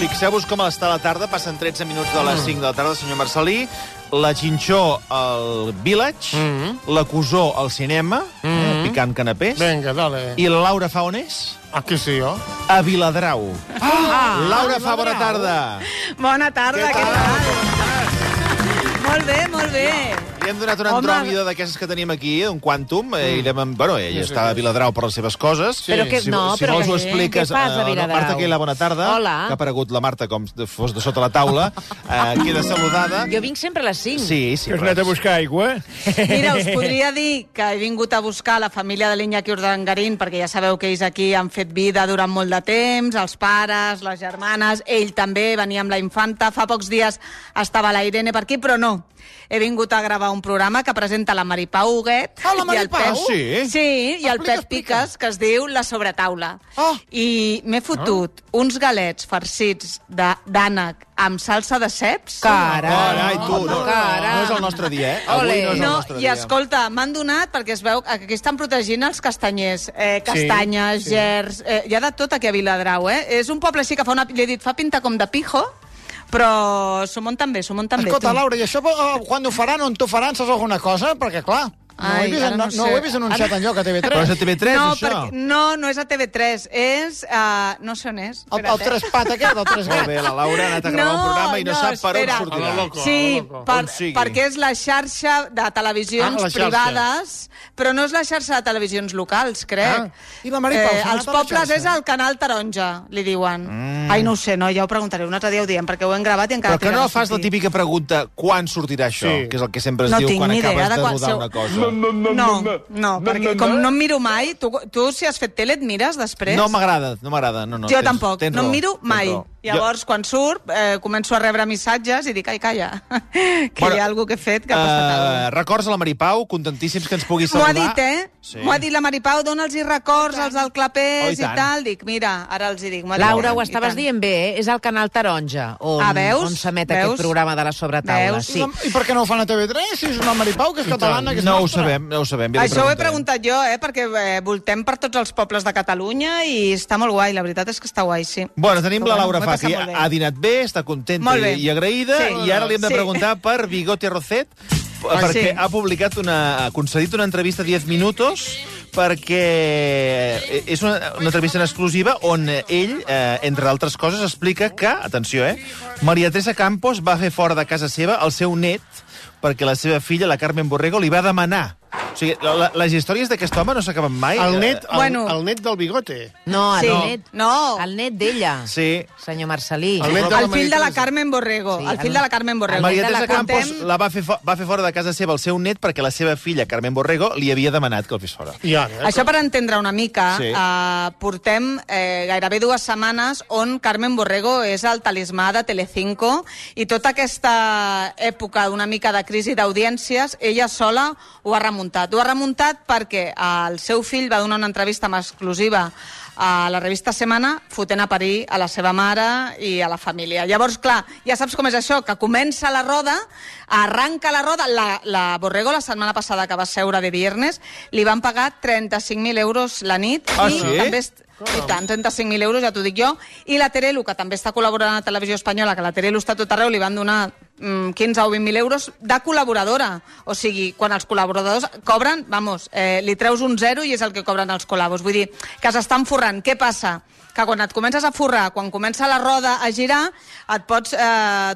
Fixeu-vos com està la tarda, passen 13 minuts de les 5 de la tarda, senyor Marcelí. La Xinxó al Village, la Cusó al cinema, picant canapés. Venga, dale. I la Laura fa on és? Aquí sí, jo. A Viladrau. Laura fa, bona tarda. Bona tarda, què tal? Molt bé, molt bé. Li hem donat una andròmida d'aquestes que tenim aquí, un quantum, i bueno, ella està a Viladrau per les seves coses. Però que no, si però vols ho què? expliques. Què passa a Viladrau? Marta Quila, bona tarda. Hola. Que ha aparegut la Marta com fos de sota la taula. Queda saludada. Jo vinc sempre a les 5. Sí. Que has anat a buscar aigua? Mira, us podria dir que he vingut a buscar la família de l'Iñaki Urdangarín, perquè ja sabeu que ells aquí han fet vida durant molt de temps, els pares, les germanes, ell també venia amb la infanta, fa pocs dies estava la Irene per aquí, però no. He vingut a gravar un programa que presenta la Maripau Huguet. Ah, la Maripau? Sí, i el Pep Piques, que es diu La Sobretaula. I m'he fotut uns galets farcits d'ànec amb salsa de ceps. Carai, tu, no és el nostre dia, eh? Avui no és el nostre dia. I escolta, m'han donat, perquè es veu que aquí estan protegint els castanyers. Castanyes, gerds, hi ha de tot aquí a Viladrau, eh? És un poble així que li he dit, fa pinta com de pijo, però s'ho munten bé, Escolta, Laura, i això quan ho faran, on t'ho faran, saps alguna cosa? Perquè, clar, no ho he vist anunciat enlloc a TV3. Però és a TV3, això? No és a TV3, és... no sé on és. El Trespat aquest, el Tresgat. Molt bé, la Laura ha anat a gravar un programa i no sap per on sortirà. Sí, perquè és la xarxa de televisions privades, però no és la xarxa de televisions locals, crec. I la Maripau? Els pobles és el Canal Taronja, li diuen. Ai, no ho sé, ja ho preguntaré, un altre dia ho diem, perquè ho hem gravat i encara... Però que no fas la típica pregunta, quan sortirà això? Que és el que sempre es diu quan acabes de rodar una cosa. No, perquè com no em miro mai, tu si has fet tele et mires després? No m'agrada. Jo tampoc, no em miro mai. Llavors, quan surt, començo a rebre missatges i dic, ai, calla, que hi ha algú que he fet que ha passat alguna cosa. Records a la Maripau, contentíssims que ens pugui saludar. M'ho ha dit, eh? M'ho ha dit la Maripau, dona'ls-hi records als del Clapés i tal. Dic, mira, ara els hi dic. Laura, ho estaves dient bé, és el Canal Taronja, on s'emet aquest programa de la sobretaula. I per què no ho fan a TV3, si és una Maripau, que és catalana, que és nostra? No ho sabem. Això ho he preguntat jo, perquè voltem per tots els pobles de Catalunya i està molt guai, la veritat és que està guai, sí. Bueno, tenim la Laura Fa, que ha dinat bé, està contenta i agraïda, i ara li hem de preguntar per Bigote Rocet, perquè ha concedit una entrevista 10 minutos, perquè és una entrevista en exclusiva on ell, entre altres coses, explica que, atenció, Maria Teresa Campos va fer fora de casa seva el seu net perquè la seva filla, la Carmen Borrego, li va demanar. O sigui, les històries d'aquest home no s'acaben mai. El net del Bigote. No, el net d'ella. Sí. Senyor Marcelí. El fill de la Carmen Borrego. El fill de la Carmen Borrego. Maria Teresa Campos va fer fora de casa seva el seu net perquè la seva filla, Carmen Borrego, li havia demanat que el fes fora. Això per entendre una mica, portem gairebé 2 setmanes on Carmen Borrego és el talismà de Telecinco i tota aquesta època d'una mica de crisi d'audiències, ella sola ho ha remuntat. Ho ha remuntat perquè el seu fill va donar una entrevista amb exclusiva a la revista Semana fotent a parir a la seva mare i a la família. Llavors, clar, ja saps com és això, que comença la roda, arranca la roda, la Borrego la setmana passada que va seure de viernes li van pagar 35.000 euros la nit i també... I tant, 35.000 euros, ja t'ho dic jo. I la Terelu, que també està col·laborant a Televisió Espanyola, que la Terelu està a tot arreu, li van donar 15 o 20.000 euros de col·laboradora. O sigui, quan els col·laboradors cobren, li treus un zero i és el que cobren els col·labos. Vull dir, que s'estan forrant. Què passa? Que quan et comences a forrar, quan comença la roda a girar, et pots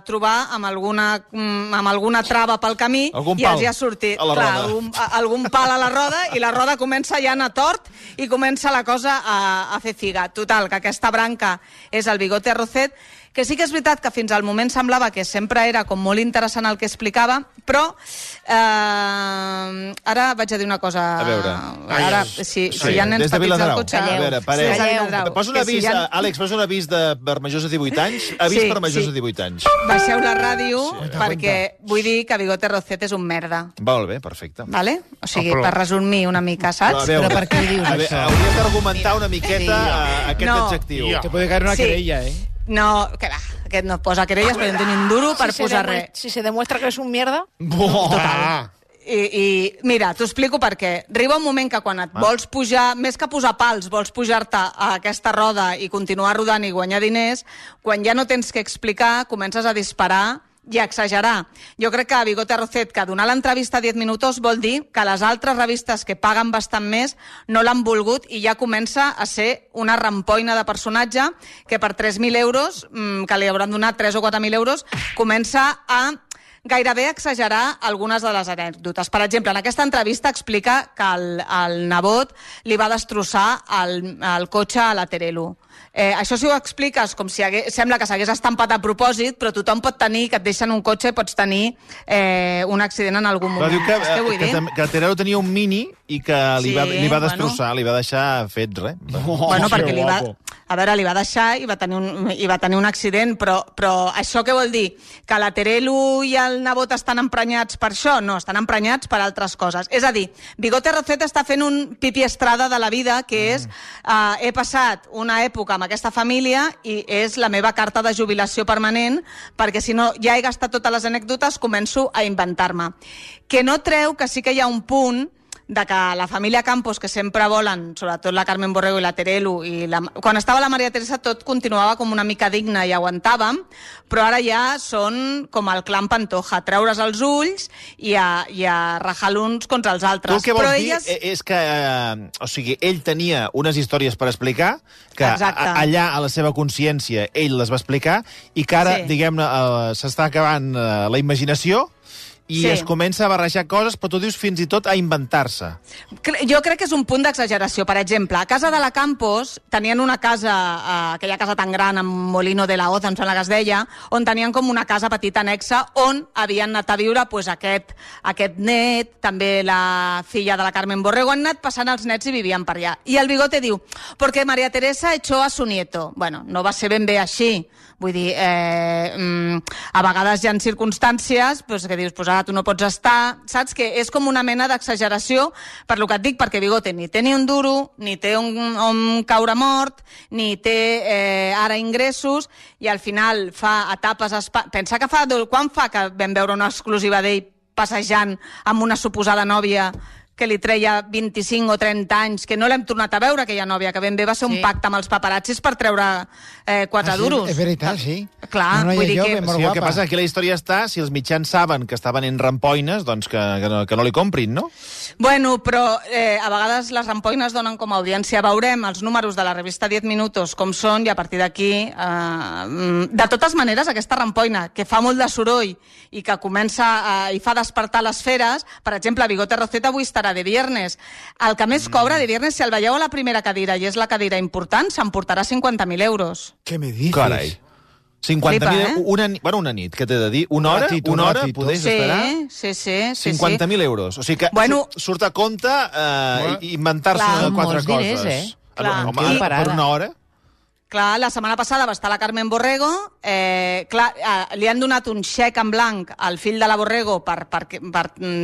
trobar amb alguna trava pel camí i els ha sortit algun pal a la roda i la roda comença ja a anar tort i comença la cosa a fer figa. Total, que aquesta branca és el Bigote Rocet, que sí que és veritat que fins al moment semblava que sempre era com molt interessant el que explicava, però ara vaig a dir una cosa. A veure. Ara, si hi ha nens petits al cotxe... A veure, pareu. Posa un avís, Àlex, posa un avís per majors de 18 anys. Avís per majors de 18 anys. Baixeu la ràdio perquè vull dir que Bigote Rocet és un merda. Molt bé, perfecte. Vale? O sigui, per resumir una mica, saps? Però per què ho dius, això? Hauries d'argumentar una miqueta aquest adjectiu. Te puede caer una querella, No, que va, aquest no posa querelles, però no té ni un duro per posar res. Si se demuestra que és un mierda... Total. I mira, t'ho explico per què. Arriba un moment que quan et vols pujar, més que posar pals, vols pujar-te a aquesta roda i continuar rodant i guanyar diners, quan ja no tens què explicar, comences a disparar i a exagerar. Jo crec que Bigote Arrocet, que donar l'entrevista a 10 minuts vol dir que les altres revistes que paguen bastant més no l'han volgut i ja comença a ser una rampoina de personatge que per 3.000 euros, que li hauran donat 3 o 4.000 euros, comença a gairebé exagerar algunes de les anècdotes. Per exemple, en aquesta entrevista explica que el nebot li va destrossar el cotxe a la Terelu. Això si ho expliques com si sembla que s'hagués estampat a propòsit, però tothom pot tenir, que et deixen un cotxe, pots tenir un accident en algun moment. Però diu que Terelu tenia un Mini i que li va destrossar, li va deixar fet res. Bueno, perquè li va deixar i va tenir un accident, però això què vol dir? Que la Terelu i el nebot estan emprenyats per això? No, estan emprenyats per altres coses. És a dir, Bigote Arrocet està fent un Pipi Estrada de la vida, que és he passat una època amb aquesta família i és la meva carta de jubilació permanent, perquè si no ja he gastat totes les anècdotes, començo a inventar-me. Que no treu que sí que hi ha un punt de que la família Campos, que sempre volen, sobretot la Carmen Borrego i la Terelu, quan estava la Maria Teresa tot continuava com una mica digne i aguantàvem, però ara ja són com el clan Pantoja, treure's els ulls i a rajar l'uns contra els altres. Tu el que vols dir és que ell tenia unes històries per explicar, que allà a la seva consciència ell les va explicar, i que ara, diguem-ne, s'està acabant la imaginació, i es comença a barrejar coses, però tu dius fins i tot a inventar-se. Jo crec que és un punt d'exageració. Per exemple, a casa de la Campos tenien una casa, aquella casa tan gran, amb Molino de la Hoz, em sembla que es deia, on tenien com una casa petita anexa, on havien anat a viure aquest net, també la filla de la Carmen Borrego, han anat passant els nets i vivien per allà. I el Bigote diu, perquè María Teresa echó a su nieto. Bueno, no va ser ben bé així. Vull dir, a vegades hi ha circumstàncies que dius, ara tu no pots estar, saps? Que és com una mena d'exageració, per lo que et dic, perquè Bigote ni té ni un duro, ni té on caure mort, ni té ara ingressos, i al final fa etapes... Pensa que quan fa que vam veure una exclusiva d'ell passejant amb una suposada nòvia que li treia 25 o 30 anys, que no l'hem tornat a veure, aquella nòvia, que ben bé va ser un pacte amb els paparazzis per treure 4 duros. És veritat, sí. Clar, vull dir que... Sí, el que passa és que la història està, si els mitjans saben que estaven en rampoines, doncs que no li comprin, no? Bueno, però a vegades les rampoines donen com a audiència. Veurem els números de la revista 10 minuts com són, i a partir d'aquí... De totes maneres, aquesta rampoina, que fa molt de soroll i que comença i fa despertar les feres, per exemple, Bigote Arrocet avui estarà de viernes. El que més cobra de viernes, si el veieu a la primera cadira, i és la cadira important, s'emportarà 50.000 euros. Què me dices? Carai. 50.000, una nit, què t'he de dir? Una hora podés esperar? Sí. 50.000 euros. O sigui que surt a compte inventar-se 4 coses. Home, per una hora? Clar, la setmana passada va estar la Carmen Borrego, li han donat un xec en blanc al fill de la Borrego per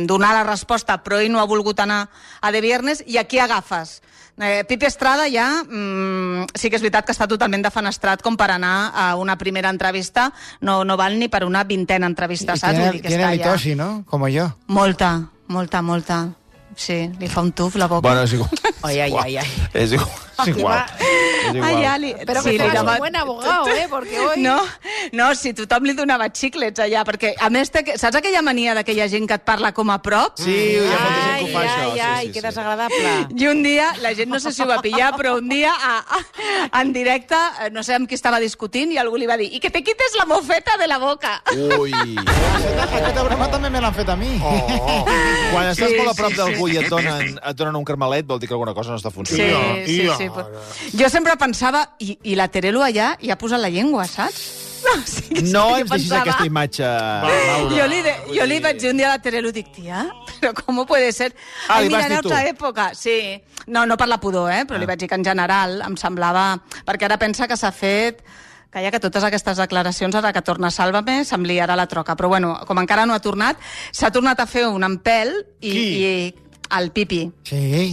donar la resposta, però ell no ha volgut anar a de viernes, i aquí agafes. Pipi Estrada ja sí que és veritat que està totalment defenestrat com per anar a una primera entrevista, no val ni per una 20a entrevista, saps? Tiene mitosi, ¿no? Como yo. Molta. Sí, li fa un tuf la boca. Bueno, és igual. Ai. És igual. Pero que seràs un buen abogado, porque hoy... No, si tothom li donava xiclets allà, perquè a més, saps aquella mania d'aquella gent que et parla com a prop? Sí, hi ha molta gent que ho fa, això. Ai, que desagradable. I un dia, la gent no sé si ho va pillar, però un dia, en directe, no sé amb qui estava discutint, i algú li va dir, i que te quites la mofeta de la boca. Ui. Aquesta broma també me l'han fet a mi. Quan estàs molt a prop d'algú i et donen un carmelet, vol dir que alguna cosa no està funcionant. Sí. Jo sempre pensava, i la Terelu allà hi ha posat la llengua, saps? No ens deixis aquesta imatge. Jo li vaig dir un dia a la Terelu, dic, tia, però com puede ser? Li vas dir tu? Otra època. Sí. No per la pudor, però li vaig dir que en general em semblava... Perquè ara pensa que s'ha fet... que totes aquestes declaracions, ara que torna Sálvame, se'm liarà la troca. Però bueno, com encara no ha tornat, s'ha tornat a fer un empel i el Pipi,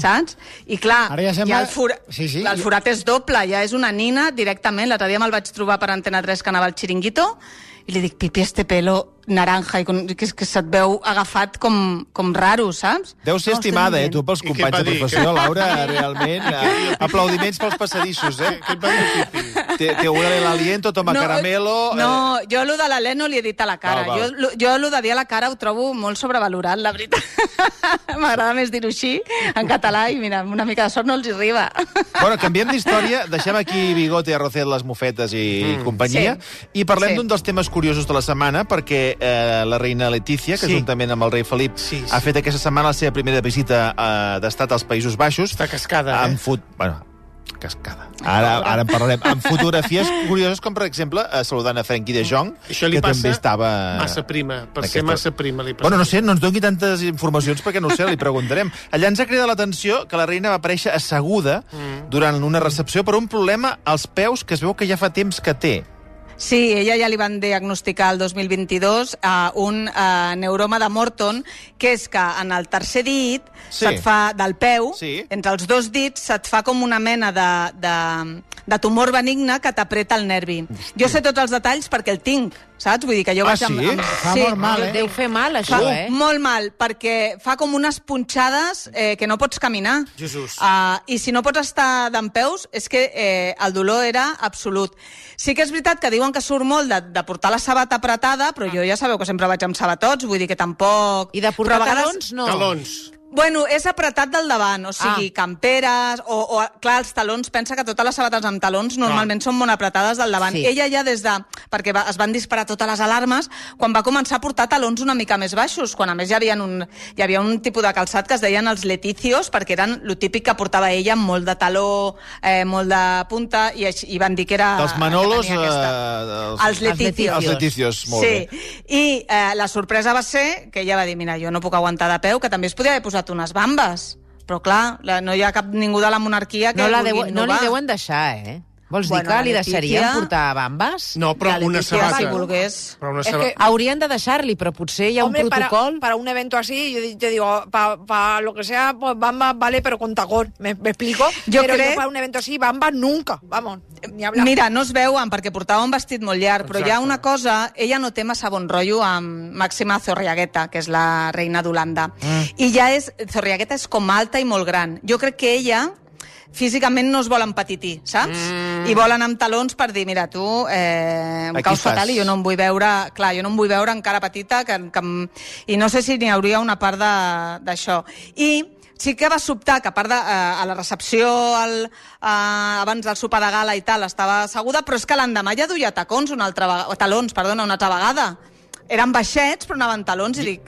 saps? I clar, ja el forat és doble, ja és una nina directament. L'altre dia me'l vaig trobar per Antena 3 que anava al Chiringuito I li dic, Pipi, este pelo naranja, i que se't veu agafat com raro, saps? Deu ser estimada, tu, pels companys de professió, Laura, realment. Aplaudiments pels passadissos, Què et va dir el Pipi? Te huele el aliento, toma caramelo... No, jo allò de l'alè no li he dit a la cara. Jo allò de dir a la cara ho trobo molt sobrevalorat, la veritat. M'agrada més dir-ho així, en català, i mira, una mica de sort no els hi arriba. Bueno, canviem d'història, deixem aquí Bigote, Arrocet, les mofetes i companyia, i parlem d'un dels temes curiosos de la setmana, perquè la reina Letícia, que juntament amb el rei Felip ha fet aquesta setmana la seva primera visita d'estat als Països Baixos. Està cascada, Bueno, cascada. Ara en parlarem. Amb fotografies curioses, com per exemple saludant a Frenkie de Jong, que també estava... massa prima, per ser massa prima. Bueno, no sé, no ens doni tantes informacions perquè no ho sé, li preguntarem. Allà ens ha cridat l'atenció que la reina va aparèixer asseguda durant una recepció per un problema als peus que es veu que ja fa temps que té. Sí, ella ja li van diagnosticar el 2022 un neuroma de Morton, que és que en el tercer dit se't fa del peu, entre els dos dits se't fa com una mena de tumor benigne que t'apreta el nervi. Jo sé tots els detalls perquè el tinc, saps? Vull dir que jo vaig Fa molt mal, Deu fer mal, això, Molt mal, perquè fa com unes punxades que no pots caminar. Jesús. I si no pots estar dempeus, és que el dolor era absolut. Sí que és veritat que diuen que surt molt de portar la sabata apretada, però jo ja sabeu que sempre vaig amb sabatots, vull dir que tampoc... I de portar talons, no? Talons. Bueno, és apretat del davant, o sigui, camperes, o clar, els talons, pensa que totes les sabates amb talons normalment són molt apretades del davant. Ella ja des de... perquè es van disparar totes les alarmes, quan va començar a portar talons una mica més baixos, quan a més hi havia un tipus de calçat que es deien els leticios, perquè eren lo típic que portava ella, amb molt de taló, molt de punta, i van dir que era... Dels Manolos... Els leticios. Els leticios, molt bé. I la sorpresa va ser que ella va dir, mira, jo no puc aguantar de peu, que també es podia haver posat unes bambes, però clar, no hi ha cap ningú de la monarquia que vulgui innovar. No li deuen deixar, Vols dir que li deixarien portar bambes? No, però una sabata. Si volgués. Haurien de deixar-li, però potser hi ha un protocol... Para un evento así, yo digo, para lo que sea, pues bamba vale, pero con tacón, ¿me explico? Yo para un evento así, bamba nunca, vamos, ni hablar. Mira, no es veuen perquè portava un vestit molt llarg, però hi ha una cosa, ella no té massa bon rotllo amb Màxima Zorriagueta, que és la reina d'Holanda. I Zorriagueta és com alta i molt gran. Jo crec que ella físicament no es vol empetitir, saps? I volen amb talons per dir, mira, tu em caus fatal i jo no em vull veure... Clar, jo no em vull veure encara petita, i no sé si n'hi hauria una part d'això. I sí que va sobtar que a part a la recepció abans del sopar de gala i tal estava asseguda, però és que l'endemà ja duia talons una altra vegada. Eren baixets, però anaven talons, i dic...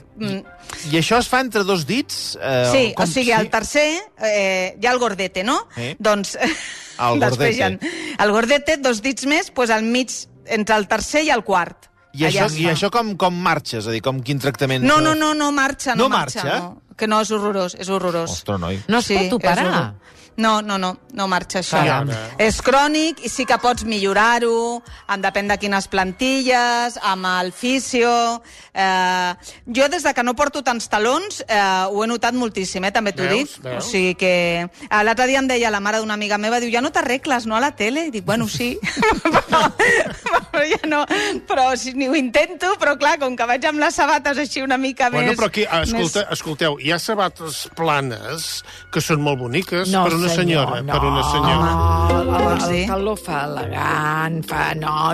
I això es fa entre dos dits? Sí, o sigui, el tercer, hi ha el gordete, no? Doncs... El gordete. El gordete, dos dits més, doncs al mig, entre el tercer i el quart. I això com marxa? És a dir, quin tractament... No marxa. No marxa? Que no, és horrorós, és horrorós. Ostres, noi. No es pot operar? No marxa això. És crònic i sí que pots millorar-ho, depèn de quines plantilles, amb el fisio... Jo, des de que no porto tants talons, ho he notat moltíssim, també t'ho dic. O sigui que... L'altre dia em deia la mare d'una amiga meva, diu, ja no t'arregles, no, a la tele? I dic, bueno, sí. Però ja no... Però ni ho intento, però clar, com que vaig amb les sabates així una mica més... Bueno, però aquí, escolteu, hi ha sabates planes que són molt boniques per una senyora. El taló fa elegant,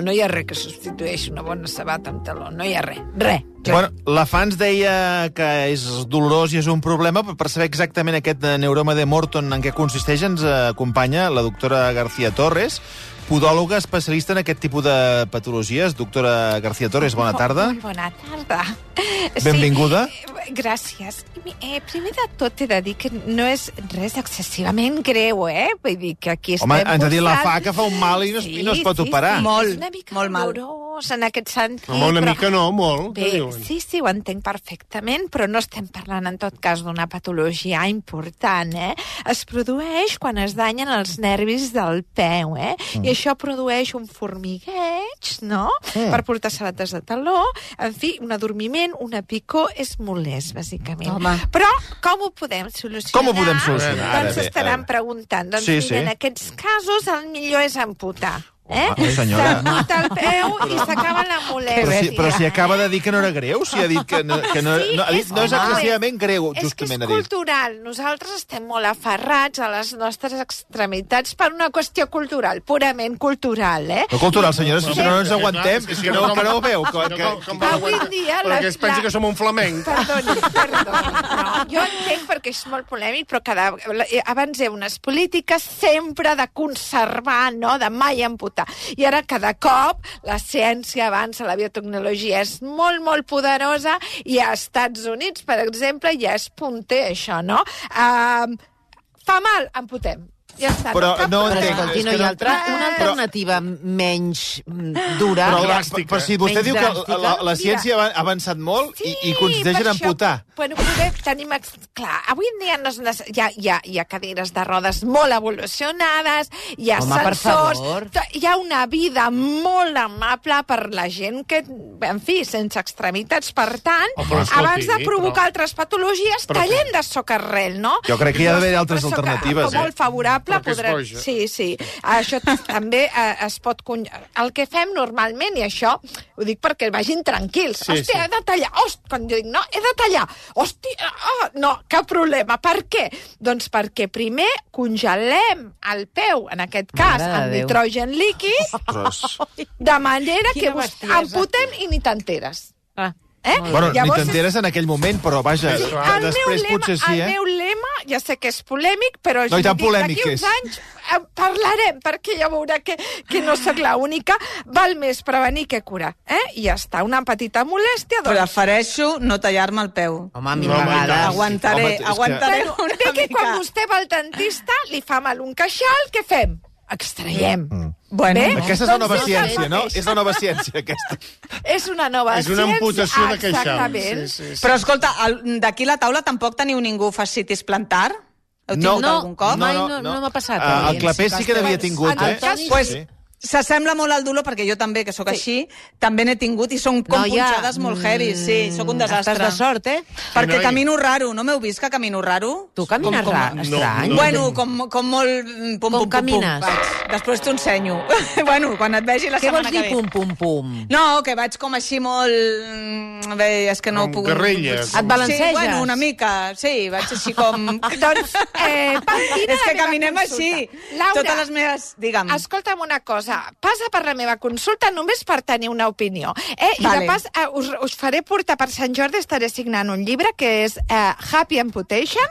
no hi ha res que substitueixi una bona sabata amb taló, no hi ha res. Bueno, la fa ens deia que és dolorós i és un problema, però per saber exactament aquest neuroma de Morton en què consisteix ens acompanya la doctora García Torres, podòloga especialista en aquest tipus de patologies. Doctora García Torres, bona tarda. Molt bona tarda. Benvinguda. Gràcies. Primer de tot he de dir que no és res excessivament greu, Vull dir que aquí estem... Home, ens ha dit la fa que fa un mal i no es pot operar. Molt, és una mica molt mal. dolorós en aquest sentit. Home, una mica no, molt. Bé, sí, ho entenc perfectament, però no estem parlant en tot cas d'una patologia important, Es produeix quan es danyen els nervis del peu, I això produeix un formigueig, no? Per portar sabates de taló. En fi, un adormiment, una picor, és molest, bàsicament. Home. Però com ho podem solucionar? Com ho podem solucionar? Doncs estaran preguntant. Doncs mira, en aquests casos el millor és amputar. Senyora. S'emputa el peu i s'acaba la molèstia. Però si acaba de dir que no era greu, si ha dit que no és excessivament greu, justament ha dit. És cultural. Nosaltres estem molt aferrats a les nostres extremitats per una qüestió cultural, purament cultural, No cultural, senyora, si no ens aguantem, que no ho veu. Avui en dia... Perquè es pensa que som un flamenc. Perdoni. Jo entenc perquè és molt polèmic, però abans hi ha unes polítiques sempre de conservar, de mai amputar. I ara cada cop la ciència avança, la biotecnologia és molt, molt poderosa i als Estats Units, per exemple, ja és punter això, no? Fa mal, amputem. Ja està. Però no entenc. Escolti, no hi ha una alternativa menys dura. Però si vostè diu que la ciència ha avançat molt i consisteix en amputar. Bueno, tenim... Clar, avui en dia hi ha cadires de rodes molt evolucionades, hi ha sensors, hi ha una vida molt amable per la gent que, en fi, sense extremitats. Per tant, abans de provocar altres patologies, tallem de socarrel, no? Jo crec que hi ha d'haver altres alternatives. Molt favorable. Sí. Això també es pot... El que fem normalment, i això ho dic perquè vagin tranquils. Hòstia, he de tallar. Quan jo dic, no, he de tallar. Hòstia, no, cap problema. Per què? Doncs perquè primer congelem el peu, en aquest cas, amb nitrogen líquid, de manera que amputem i ni t'enteres. Bueno, ni t'enteres en aquell moment, però vaja, després potser sí, El meu lema, ja sé que és polèmic, però no, i tan polèmic d'aquí uns anys parlarem, perquè ja veurà que no sóc l'única. Val més prevenir que curar. I ja està, una petita molèstia. Prefereixo no tallar-me el peu. Home, mil vegades. Aguantaré una mica. Que quan vostè va al dentista, li fa mal un queixal, què fem? Extraiem. Bueno, aquesta és la nova ciència, no? És la nova ciència, aquesta. És una nova ciència. És una amputació de queixal. Exactament. Sí. Però, escolta, d'aquí a la taula tampoc teniu ningú fascitis plantar? Heu tingut algun cop? Mai no m'ha passat. El Clapés sí que n'havia tingut, Pues s'assembla molt al dolor, perquè jo també, que sóc així, també n'he tingut i són com punxades molt heavy. Sí, sóc un desastre. Estàs de sort, Perquè camino raro. No m'heu vist que camino raro? Tu camines estrany? Bueno, com molt... Com camines? Després t'ho ensenyo. Bueno, quan et vegi la setmana que ve. Què vols dir pum? No, que vaig com així molt... Bé, és que no puc... Guerrilles. Et balanceges? Sí, bueno, una mica. Sí, vaig així com... Doncs, és que caminem així. Laura, totes les meves... Digue'm. Escolta'm una cosa. Passa per la meva consulta només per tenir una opinió. I de pas, us faré portar per Sant Jordi, estaré signant un llibre que és Happy Amputation.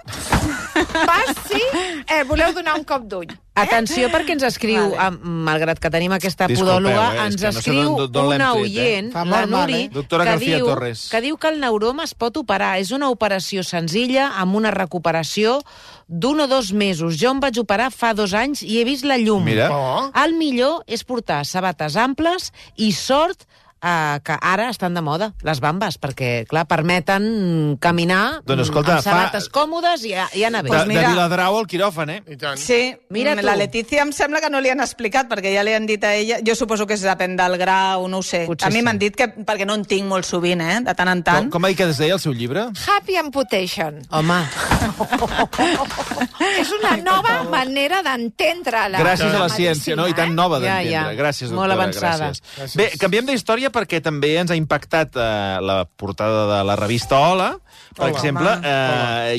Voleu donar un cop d'ull. Atenció, perquè ens escriu, malgrat que tenim aquesta podòloga, ens escriu una oient, la Nuri, que diu que el neuroma es pot operar. És una operació senzilla, amb una recuperació d'1 o 2 mesos. Jo em vaig operar fa 2 anys i he vist la llum. Mira. El millor és portar sabates amples i sort que ara estan de moda, les bambes, perquè, clar, permeten caminar amb sabates còmodes i anar bé. De Viladrau al quiròfan, I tant. Sí, la Letícia em sembla que no li han explicat, perquè ja li han dit a ella... Jo suposo que depèn del grau, no ho sé. A mi m'han dit que, perquè no en tinc molt sovint, de tant en tant. Com ha dit que es deia el seu llibre? Happy Amputation. Home. És una nova manera d'entendre la Gràcies a la ciència, no? I tan nova d'entendre. Gràcies, doctora. Molt avançada. Bé, canviem d'història perquè també ens ha impactat la portada de la revista Hola. Per exemple,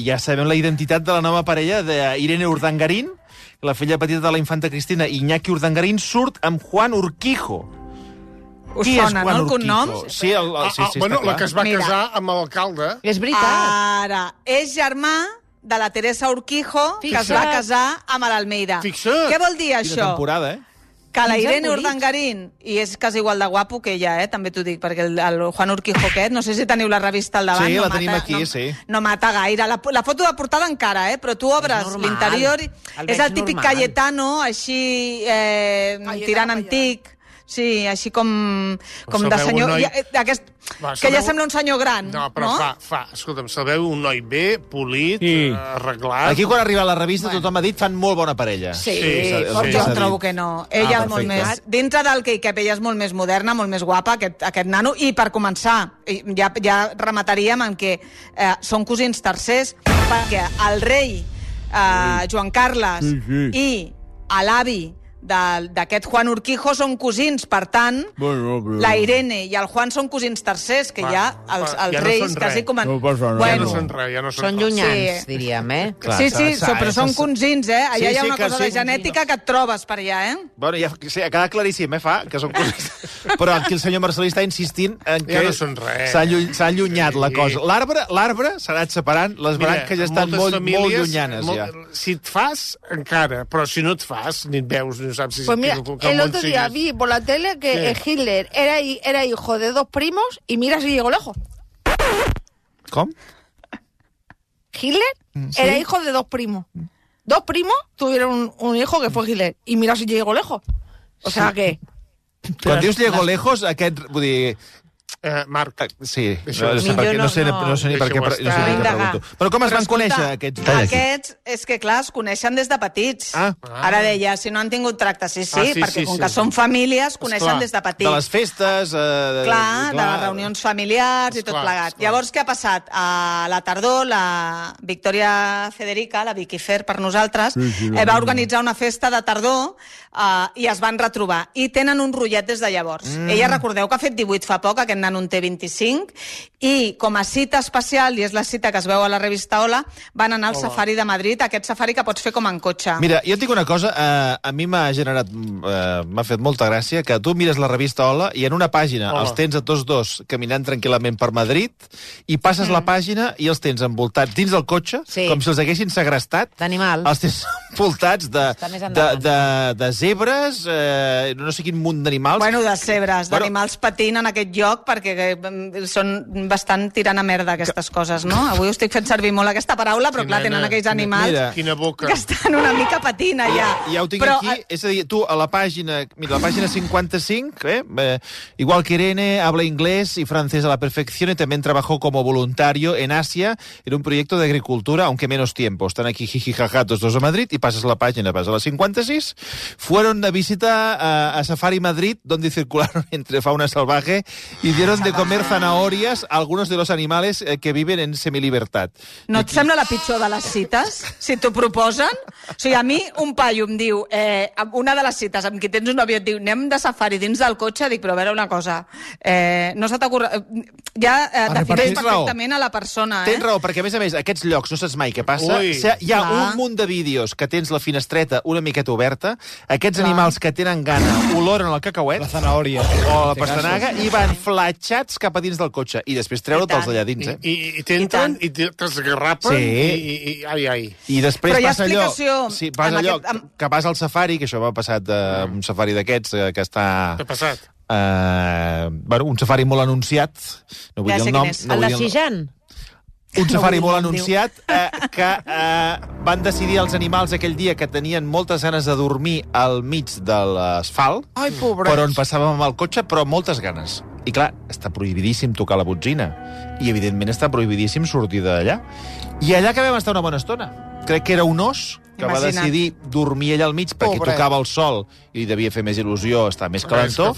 ja sabem la identitat de la nova parella d'Irene Urdangarín, la filla petita de la infanta Cristina, Iñaki Urdangarín, surt amb Juan Urquijo. Us sona, no, el cognom? Sí, bueno, la que es va casar amb l'alcalde. És veritat. Ara, és germà de la Teresa Urquijo, que es va casar amb l'Almeida. Fixa't. Què vol dir això? Quina temporada, Que la Irene Urdangarín, i és quasi igual de guapo que ella, també t'ho dic, perquè el Juan Urquijo aquest, no sé si teniu la revista al davant. Sí, la tenim aquí, sí. No mata gaire. La foto de portada encara, però tu obres l'interior, és el típic Cayetano, així tirant antic. Sí, així com de senyor... Que ja sembla un senyor gran, no? Però escolta'm, se veu un noi bé, polit, arreglat... Aquí, quan arriba a la revista, tothom ha dit fan molt bona parella. Sí, jo trobo que no. Ella és molt més... Dintre del que ella és molt més moderna, molt més guapa, aquest nano, i per començar, ja remataríem en què són cosins tercers, perquè el rei Joan Carles i l'avi d'aquest Juan Urquijo són cosins, per tant, la Irene i el Juan són cosins tercers, que ja els reis quasi com... Ja no són res, són llunyans, diríem, Sí, però són cosins, allà hi ha una cosa de genètica que et trobes per allà, Bueno, ja ha quedat claríssim, fa, que són cosins. Però aquí el senyor Marcelí està insistint en que s'ha allunyat la cosa. L'arbre s'ha anat separant, les branques ja estan molt llunyanes, ja. Si et fas, encara, però si no et fas, ni et veus, ni saps si... Pues mira, el otro día vi por la tele que Hitler era hijo de 2 primos y mira si llegó lejos. ¿Cómo? Hitler era hijo de 2 primos. 2 primos tuvieron un hijo que fue Hitler y mira si llegó lejos. O sea que... Quan dius llegó lejos, aquest... Vull dir... Marc. Sí, no sé ni per què pregunto. Però com es van conèixer, aquests? Aquests, és que clar, es coneixen des de petits. Ara deia, si no han tingut tracte, sí, perquè com que són famílies, coneixen des de petits. De les festes... Clar, de les reunions familiars i tot plegat. Llavors, què ha passat? A la tardor, la Victòria Federica, la Vicky Fer per nosaltres, va organitzar una festa de tardor i es van retrobar. I tenen un rotllet des de llavors. Ella, recordeu que ha fet 18 fa poc, aquest nen en té 25, i com a cita especial, i és la cita que es veu a la revista Hola, van anar al Safari de Madrid, aquest safari que pots fer com en cotxe. Mira, jo et dic una cosa, a mi m'ha fet molta gràcia que tu mires la revista Hola i en una pàgina els tens a tots dos caminant tranquil·lament per Madrid i passes la pàgina i els tens envoltats dins del cotxe, com si els haguessin segrestat. D'animals. Els tens envoltats de zebres, no sé quin munt d'animals. Bueno, de zebres, d'animals patint en aquest lloc, perquè són bastant tirant a merda aquestes coses, no? Avui estic fent servir molt aquesta paraula, però clar, tenen aquells animals que estan una mica patint allà. Ja ho tinc aquí, és a dir, tu a la pàgina, mira, la pàgina 55, igual que Irene, habla inglés y francés a la perfección y también trabajó como voluntario en Asia en un proyecto de agricultura, aunque menos tiempo. Están aquí jijijaja, todos dos a Madrid, y pasas la página, vas a la 56, fueron de visita a Safari Madrid, donde circularon entre fauna salvaje y dieron de comer zanahorias a algunos de los animales que viven en semilibertad. No et sembla la pitjor de les cites, si t'ho proposen? O sigui, a mi un paio em diu, una de les cites amb qui tens un nòvio et diu, anem de safari dins del cotxe, dic, però a veure una cosa, no se t'ocorre... Ja defineix perfectament a la persona, Tens raó, perquè a més, aquests llocs, no saps mai què passa, hi ha un munt de vídeos que tens la finestreta una miqueta oberta, aquests animals que tenen gana oloren el cacauet, la zanahòria o la pastanaga, i van flatxats cap a dins del cotxe, i després treure-te'ls d'allà dins, I t'entren, i t'esgarrapen, i després passa allò... Sí, vas allò, que vas al safari, que això m'ha passat un safari d'aquests, que està... Què ha passat? Un safari molt anunciat, no vull dir el nom... El de Sijan? Un safari molt anunciat que van decidir els animals aquell dia que tenien moltes ganes de dormir al mig de l'asfalt, per on passàvem amb el cotxe, però moltes ganes. I clar, està prohibidíssim tocar la botzina. I evidentment està prohibidíssim sortir d'allà. I allà que vam estar una bona estona. Crec que era un os que va decidir dormir allà al mig perquè tocava el sol i li devia fer més il·lusió, estar més calentó.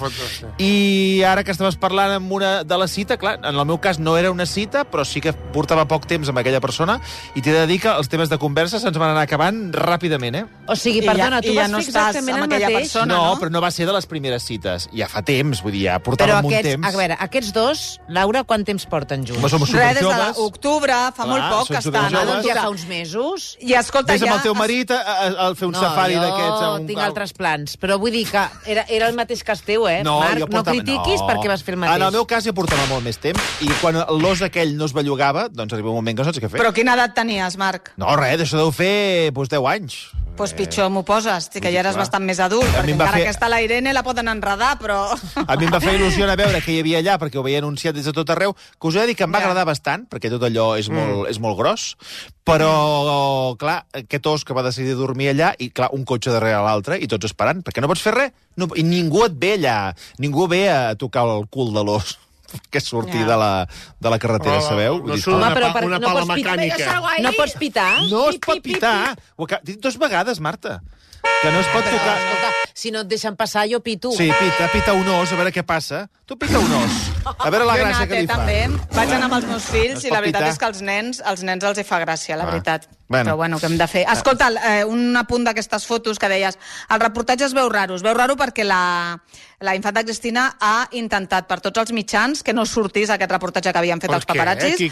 I ara que estaves parlant amb una de la cita, clar, en el meu cas no era una cita, però sí que portava poc temps amb aquella persona i t'he de dir que els temes de conversa se'ns van anar acabant ràpidament, O sigui, perdona, tu vas fer exactament el mateix? Persona, no, però no va ser de les primeres cites. Ja fa temps, vull dir, ja portàvem un temps. A veure, aquests dos, Laura, quant temps porten junts? Som superjoves. Res, des d'octubre, fa molt poc que estan. Ja fa uns mesos. I escolta, Ves amb el teu marit a fer un safari d'aquests. No, tinc altres plans, però vull dir que era el mateix que el teu, Marc, no critiquis perquè vas fer el mateix. En el meu cas ja portava molt més temps, i quan l'os aquell no es bellugava, doncs arriba un moment que no saps què fer. Però quina edat tenies, Marc? No, res, això deu fer 10 anys. Doncs pitjor m'ho poses, que ja eres bastant més adult, perquè encara aquesta la Irene la poden enredar, però... A mi em va fer il·lusió a veure què hi havia allà, perquè ho veia anunciat des de tot arreu, que us he de dir que em va agradar bastant, perquè tot allò és molt gros, però, clar, aquest os que va decidir dormir allà, i clar, un cotxe darrere l'altre, i tots esperant, perquè no pots fer res, i ningú et ve allà, ningú ve a tocar el cul de l'os que surti de la carretera, sabeu? No surt una pala mecànica. No pots pitar? No es pot pitar. Ho he dit 2 vegades, Marta. Que no es pot tocar... Escolta, si no et deixen passar, jo pito. Sí, pita un os, a veure què passa. Tu pita un os. A veure la gràcia que li fa. També. Vaig anar amb els meus fills i la veritat és que als nens els hi fa gràcia, la veritat. Però bueno, què hem de fer? Escolta, un apunt d'aquestes fotos que deies, el reportatge es veu raro. Es veu raro perquè la infanta Cristina ha intentat per tots els mitjans que no sortís aquest reportatge que havien fet els paparazzis.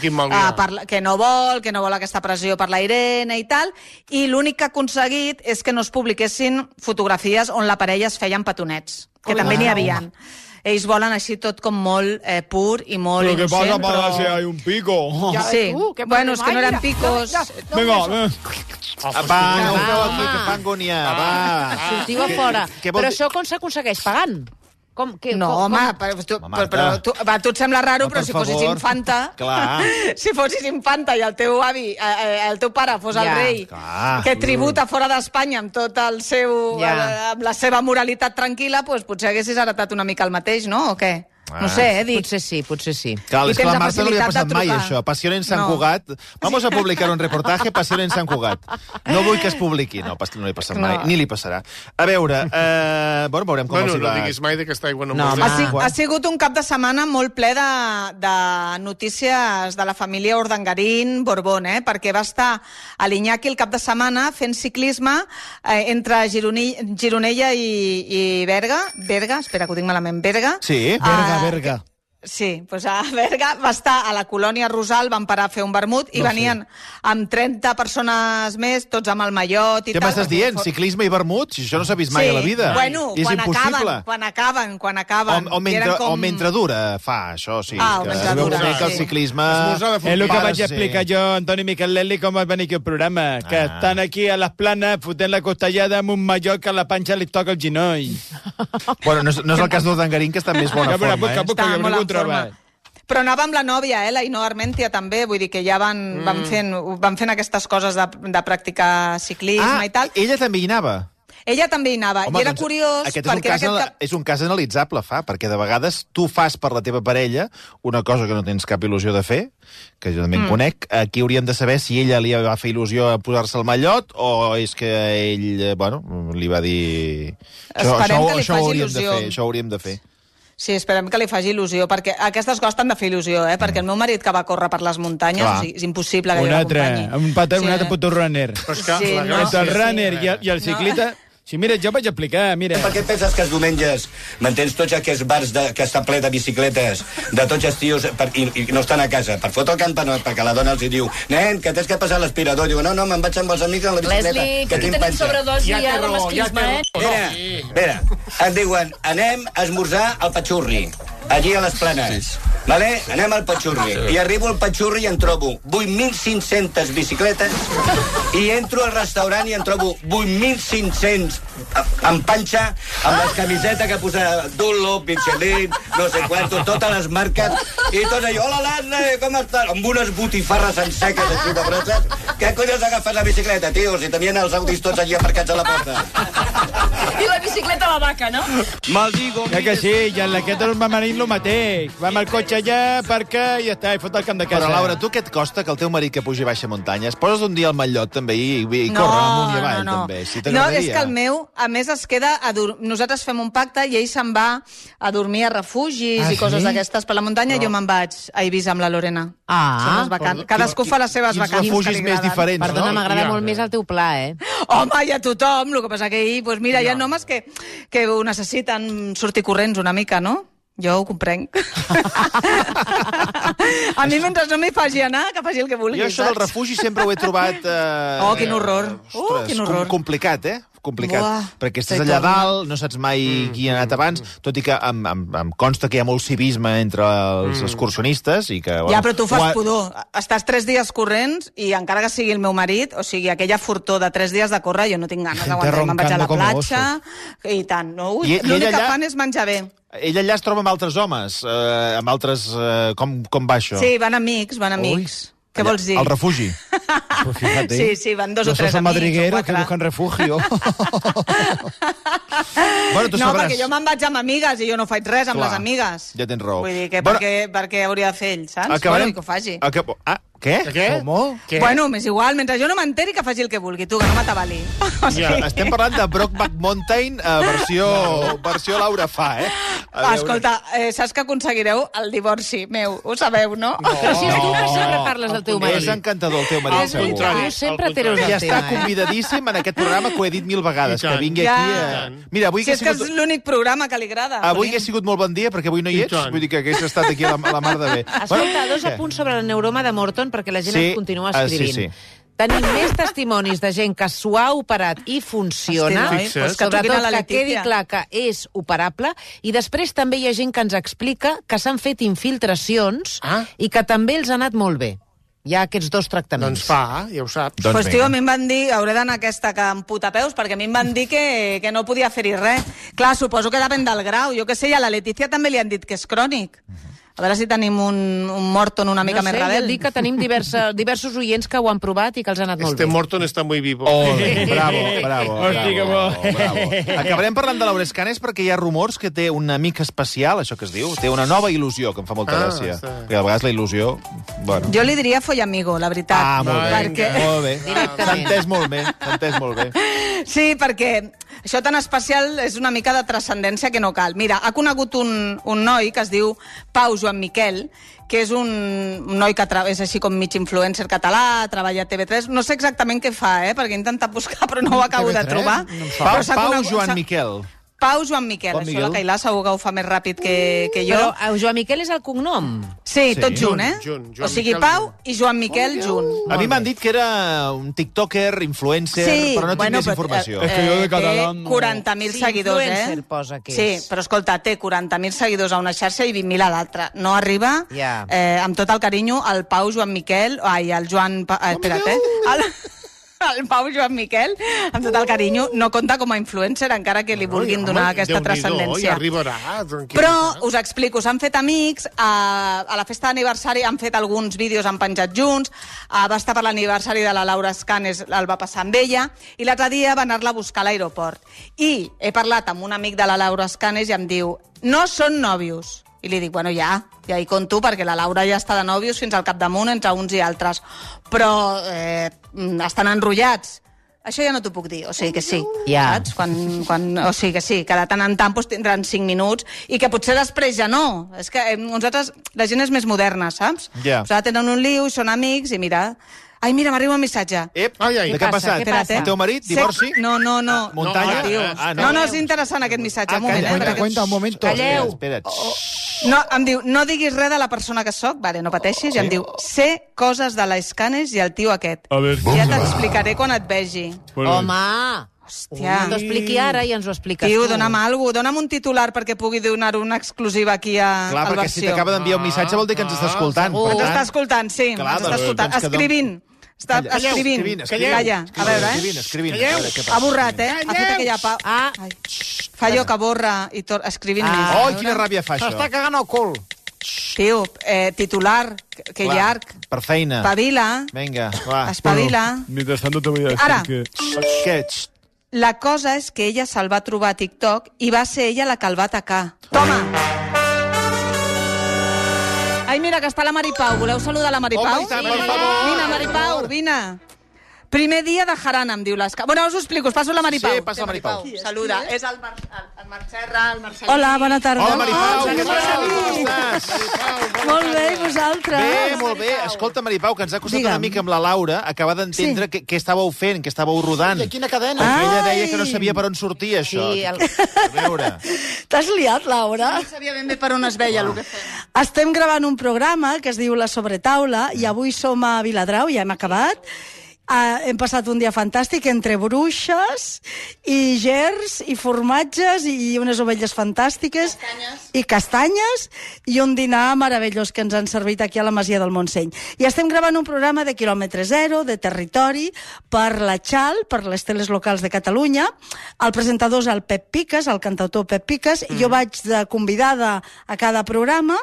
Que no vol aquesta pressió per la Irene i tal, i l'únic que ha aconseguit és que no es publiquessin fotografies on la parella es feien petonets, que també n'hi havien. Ells volen així tot com molt pur i molt innocent. Però què passa para si hay un pico? Sí, bueno, és que no eren picos. Vinga, va, no feu aquí, que fa angúnia, va. Sortiu a fora. Però això com s'aconsegueix? Pagant? Home, però tu et sembla raro, però si fossis infanta... Clar. Si fossis infanta i el teu avi, el teu pare fos el rei, que tributa fora d'Espanya amb tot el seu... amb la seva moralitat tranquil·la, doncs potser haguessis heretat una mica el mateix, no? O què? No sé, dic. Potser sí. Clar, és que a la Marta no li ha passat mai, això. Passió en Sant Cugat. Vamos a publicar un reportaje Passió en Sant Cugat. No vull que es publiqui. No li ha passat mai. Ni li passarà. A veure, veurem com els hi va. No diguis mai d'aquesta aigua no ha sigut un cap de setmana molt ple de notícies de la família Urdangarín Borbón, perquè va estar a l'Iñaki el cap de setmana fent ciclisme entre Gironella i Berga. Espera, que ho dic malament. Berga. Sí, Berga. Sí, doncs a Berga va estar a la colònia Rosal, van parar a fer un vermut i venien amb 30 persones més, tots amb el mallot i tal. Què m'estàs dient? Ciclisme i vermut? Si això no s'ha vist mai a la vida. Bueno, quan acaben. O mentre dura fa això, sí. Mentre dura. Que el ciclisme... És el que vaig explicar jo, Antoni Michelelli, com va venir aquí el programa, que estan aquí a les planes fotent la costellada amb un mallot que a la panxa li toca el genoll. Bueno, no és el cas d'Urdangarín, que està en més bona forma, Però anava amb la nòvia, la Ainhoa Armentia també, vull dir que ja van fent aquestes coses de practicar ciclisme i tal. Ella també hi anava? Ella també hi anava, i era curiós... És un cas analitzable, perquè de vegades tu fas per la teva parella una cosa que no tens cap il·lusió de fer, que jo també en conec. Aquí hauríem de saber si ella li va fer il·lusió a posar-se el mallot o és que ell, li va dir... Esperem que li faci il·lusió. Això hauríem de fer. Sí, esperem que li faci il·lusió, perquè aquestes coses t'han de fer il·lusió, perquè el meu marit que va córrer per les muntanyes, és impossible que jo l'acompanyi. Un altre puto runner. El runner i el ciclista... Sí, mira, jo vaig explicar, mira. Per què penses que els diumenges mantens tots aquests bars que estan ple de bicicletes, de tots els tios, i no estan a casa? Per fotre el camp, perquè la dona els hi diu, nen, que tens que passar l'aspirador. Diu, no, me'n vaig amb els amics en la bicicleta. Leslie, que aquí tenim sobredosi de masclisme, Mira, em diuen, anem a esmorzar al Patxurri, allí a les Planes. Vale? Anem al Patxurri. I arribo al Patxurri i en trobo 8.500 bicicletes i entro al restaurant i en trobo 8.500 en panxa, amb les camisetes que posa Dunlop, Michelin, no sé quanto, totes les marques, i tots allò, hola, Leslie, com estàs? Amb unes botifarres en seques així de grosses. Què collons agafes la bicicleta, tio? Si tenien els audis tots allí aparcats a la porta. I la bicicleta a la vaca, no? Maldigo. Que sí, i en aquest el marit lo mateix. Va amb el cotxe allà, aparca i ja està, i fot el camp de casa. Però, Laura, tu què et costa que el teu marit que pugi i baixa muntanyes poses un dia al mallot també i corre amunt i avall també? No, és que el meu, a més, es queda... Nosaltres fem un pacte i ell se'n va a dormir a refugis i coses d'aquestes per la muntanya i jo me'n vaig a Eivissa amb la Lorena. Cadascú fa les seves vacances. Quins refugis més diferents, no? Perdona, m'agrada molt més el teu pla, Home, i a tothom, el que passa que ell, mira, hi ha homes que ho necessiten sortir corrents una mica, no? Jo ho comprenc. A mi, mentre no m'hi faci anar, que faci el que vulgui. Jo això del refugi sempre ho he trobat... quin horror. Quin horror. Complicat, perquè estàs allà dalt, no saps mai qui ha anat abans, tot i que em consta que hi ha molt civisme entre els excursionistes i que... Ja, però tu fas pudor. Estàs 3 dies corrents i encara que sigui el meu marit, o sigui, aquella fortó de 3 dies de córrer, jo no tinc ganes d'aguantar. Me'n vaig a la platja i tant. L'únic que fan és menjar bé. Ell allà es troba amb altres homes, amb altres... Com va això? Sí, van amics. Què vols dir? Al refugi. Sí, van 2 o 3 amics. Yo soy madriguero que buscan refugio. Bueno, tu no, sabràs. perquè jo me'n vaig amb amigues i jo no faig res amb les amigues. Ja tens raó. Vull dir que per què hauria de fer ell, saps? Acabarem... Bueno, que ho faci. Què? Com? Bueno, m'és igual, mentre jo no m'enteri que faci el que vulgui, tu, que no m'atabali. Estem parlant de Brokeback Mountain, versió Laura Fa, Escolta, saps que aconseguireu el divorci meu, ho sabeu, no? Però si és tu que sempre parles del teu marit. És encantador el teu marit, segur. Tu sempre treus el I està convidadíssim en aquest programa, que ho he dit 1000 vegades, que vingui aquí... Mira, avui si és que és l'únic programa que li agrada. Avui que ha sigut molt bon dia, perquè avui no hi ets, vull dir que hagués estat aquí a la mar de bé. Escolta, 2 apunts sobre el neuroma de Morton, perquè la gent ens continua escrivint. Tenim més testimonis de gent que s'ho ha operat i funciona, sobretot que quedi clar que és operable, i després també hi ha gent que ens explica que s'han fet infiltracions i que també els ha anat molt bé. Hi ha aquests 2 tractaments. Doncs ja ho saps. Pues, tio, a mi em van dir, hauré d'anar aquesta que em putapeus, perquè a mi em van dir que no podia fer-hi res. Clar, suposo que depèn del grau. Jo què sé, a la Letícia també li han dit que és crònic. A veure si tenim un Morton una mica més rebel. No sé, jo dic que tenim diversos oients que ho han provat i que els ha anat molt bé. Morton està muy vivo. Bravo. Acabarem parlant de Laura Escanes perquè hi ha rumors que té un amic especial, això que es diu, té una nova il·lusió, que em fa molta gràcia. Perquè a vegades la il·lusió... Jo li diria follamigo, la veritat. Molt bé. S'ha entès molt bé. Sí, perquè això tan especial és una mica de transcendència que no cal. Mira, ha conegut un noi que es diu Pau Joan Miquel, que és un noi que és així com mig influencer català, treballa a TV3. No sé exactament què fa, perquè he intentat buscar, però no ho acabo de trobar. Pau Joan Miquel. Pau Joan Miquel, això la Cailà segur que ho fa més ràpid que jo. Però Joan Miquel és el cognom? Sí, tot junt, O sigui, Pau i Joan Miquel junt. A mi m'han dit que era un tiktoker, influencer, però no tinc més informació. És que jo de català... 40.000 seguidors, influencer posa que és. Sí, però escolta, té 40.000 seguidors a una xarxa i 20.000 a l'altra. No arriba, amb tot el carinyo, el Pau Joan Miquel... Ai, el Joan... Espera't, el Pau Joan Miquel, amb tot el carinyo, no compta com a influencer, encara que li vulguin donar aquesta transcendència. Però us explico, s'han fet amics, a la festa d'aniversari han fet alguns vídeos, han penjat junts, va estar per l'aniversari de la Laura Escanes, el va passar amb ella, i l'altre dia va anar-la a buscar a l'aeroport. I he parlat amb un amic de la Laura Escanes i em diu, no són nòvios. I li dic, bueno, ja hi compto, perquè la Laura ja està de nòvios fins al capdamunt entre uns i altres. Però estan enrotllats. Això ja no t'ho puc dir, o sigui que sí. Saps? O sigui que sí, que de tant en tant tindran 5 minuts i que potser després ja no. És que nosaltres, la gent és més moderna, saps? Nosaltres tenen un liu, són amics i mira... Ai, mira, m'arriba un missatge. De què ha passat? El teu marit? Divorci? No. Muntanya? No, és interessant aquest missatge. Un moment, Cuenta, un moment. Calleu. Espera't. No, em diu, no diguis res de la persona que sóc, vale, no pateixis, i em diu, sé coses de l'Escanes i el tio aquest. Ja t'explicaré quan et vegi. Home! Hòstia. T'ho expliqui ara i ens ho expliques tu. tu. Dona'm alguna cosa, dona'm un titular perquè pugui donar una exclusiva aquí a Clar, perquè si t'acaba d'enviar un missatge vol dir que ens està escoltant. Ens està escoltant, sí, ens està escoltant. Escrivint. Està escrivint. Calla. A veure, Escrivint. Ha borrat, Ha fet aquella pau. Fa allò que borra i escrivint més. Oh, quina ràbia fa això. S'està cagant el cul. Tio, titular, que llarg. Per feina. Espavila. Vinga, va. Espavila. Mientras tanto te voy a decir Ara. que... Què? La cosa és que ella se'l va trobar a TikTok i va ser ella la que el va atacar. Toma! Ai, mira, que està la Maripau. Voleu saludar la Maripau? Oh, per favor. Vine, Maripau, vine. Primer dia de jarana, em diu l'Esca. Bueno, us ho explico, us passo la Maripau. Sí, passa la Maripau. Saluda. És el Marc Serra, el Marcelí. Hola, bona tarda. Hola, Maripau. Què tal? Com estàs? Molt bé, i vosaltres? Bé, molt bé. Escolta, Maripau, que ens ha costat una mica amb la Laura acabar d'entendre què estàveu fent, què estàveu rodant. De quina cadena? Ella deia que no sabia per on sortia, això. Sí, A veure. T'has liat, Laura? No sabia ben bé per on es veia el que fem. Estem gravant un programa que es diu La Sobretaula i avui som a Viladrau, ja hem acabat. Hem passat un dia fantàstic entre bruixes i gerds i formatges i unes ovelles fantàstiques i castanyes i un dinar meravellós que ens han servit aquí a la Masia del Montseny. I estem gravant un programa de quilòmetre zero, de territori, per la Xal, per les teles locals de Catalunya. El presentador és el Pep Piques, el cantautor Pep Piques, i jo vaig de convidada a cada programa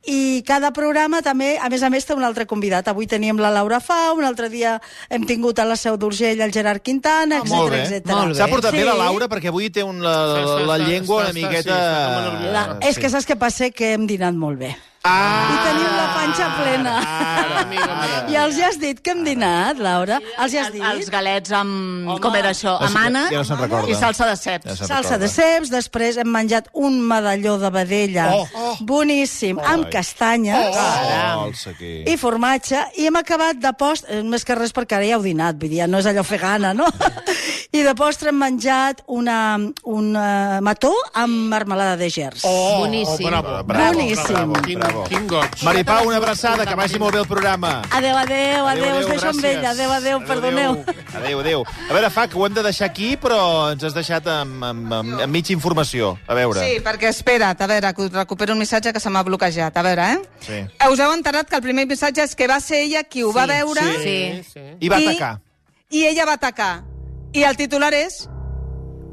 i cada programa també, a més, té un altre convidat. Avui teníem la Laura Fa, un altre dia hem tingut a la Seu d'Urgell el Gerard Quintana, etc. S'ha portat bé la Laura perquè avui té la llengua una miqueta... És que saps què passa? Que hem dinat molt bé. i tenim la panxa plena. I els ja has dit que hem dinat, Laura? Els ja has dit? Els galets amb... Com era això? Amb ànec i salsa de ceps. Salsa de ceps, després hem menjat un medalló de vedella boníssim, amb castanyes i formatge, i hem acabat de postre, més que res perquè ara ja heu dinat, vull dir, no és allò fer gana, no? I de postre hem menjat un mató amb marmelada de gerds. Boníssim. Boníssim. Quin goig. Maripau, una abraçada, que vagi molt bé el programa. Adéu, us deixo amb ella. Adéu, perdoneu. Adéu. A veure, Fac, ho hem de deixar aquí, però ens has deixat amb mitja informació. A veure. Sí, perquè espera't, a veure, que recupero un missatge que se m'ha bloquejat. A veure, Sí. Us heu enterat que el primer missatge és que va ser ella qui ho va veure... Sí. I va atacar. I ella va atacar. I el titular és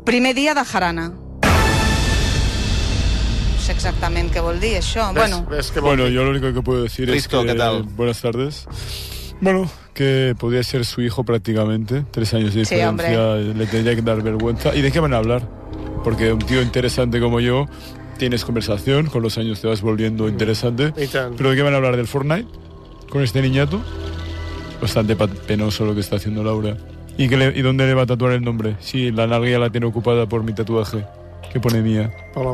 Primer dia de jarana. No sé exactament què vol dir, això. Bueno, yo lo único que puedo decir Risto, es que... ¿qué tal? Buenas tardes. Bueno, que podría ser su hijo prácticamente. 3 años de diferencia, le tendría que dar vergüenza. ¿Y de qué van a hablar? Porque un tío interesante como yo, tienes conversación, con los años te vas volviendo interesante. ¿Pero de qué van a hablar? ¿Del Fortnite? ¿Con este niñato? Bastante penoso lo que está haciendo Laura. ¿Y dónde le va a tatuar el nombre? Si la nalga ya la tiene ocupada por mi tatuaje, que pone mía.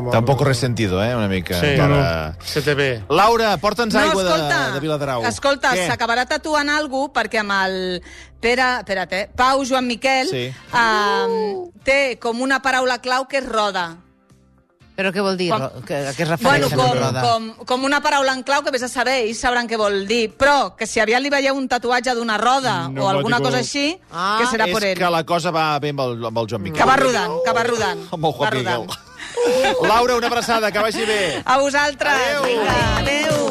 Tampoc res sentido, una mica. Sí, se te ve. Laura, porta'ns aigua de Viladrau. Escolta, s'acabarà tatuant algú perquè amb el Pau Joan Miquel té com una paraula clau que és roda. Però què vol dir? A què es refereix? Com una paraula en clau que vés a saber, ells sabran què vol dir, però que si aviat li veieu un tatuatge d'una roda o alguna cosa així, que serà per ell. És que la cosa va bé amb el Joan Miquel. Que va rodant. Amb el Joan Miquel. Laura, una abraçada, que vagi bé. A vosaltres. Adéu.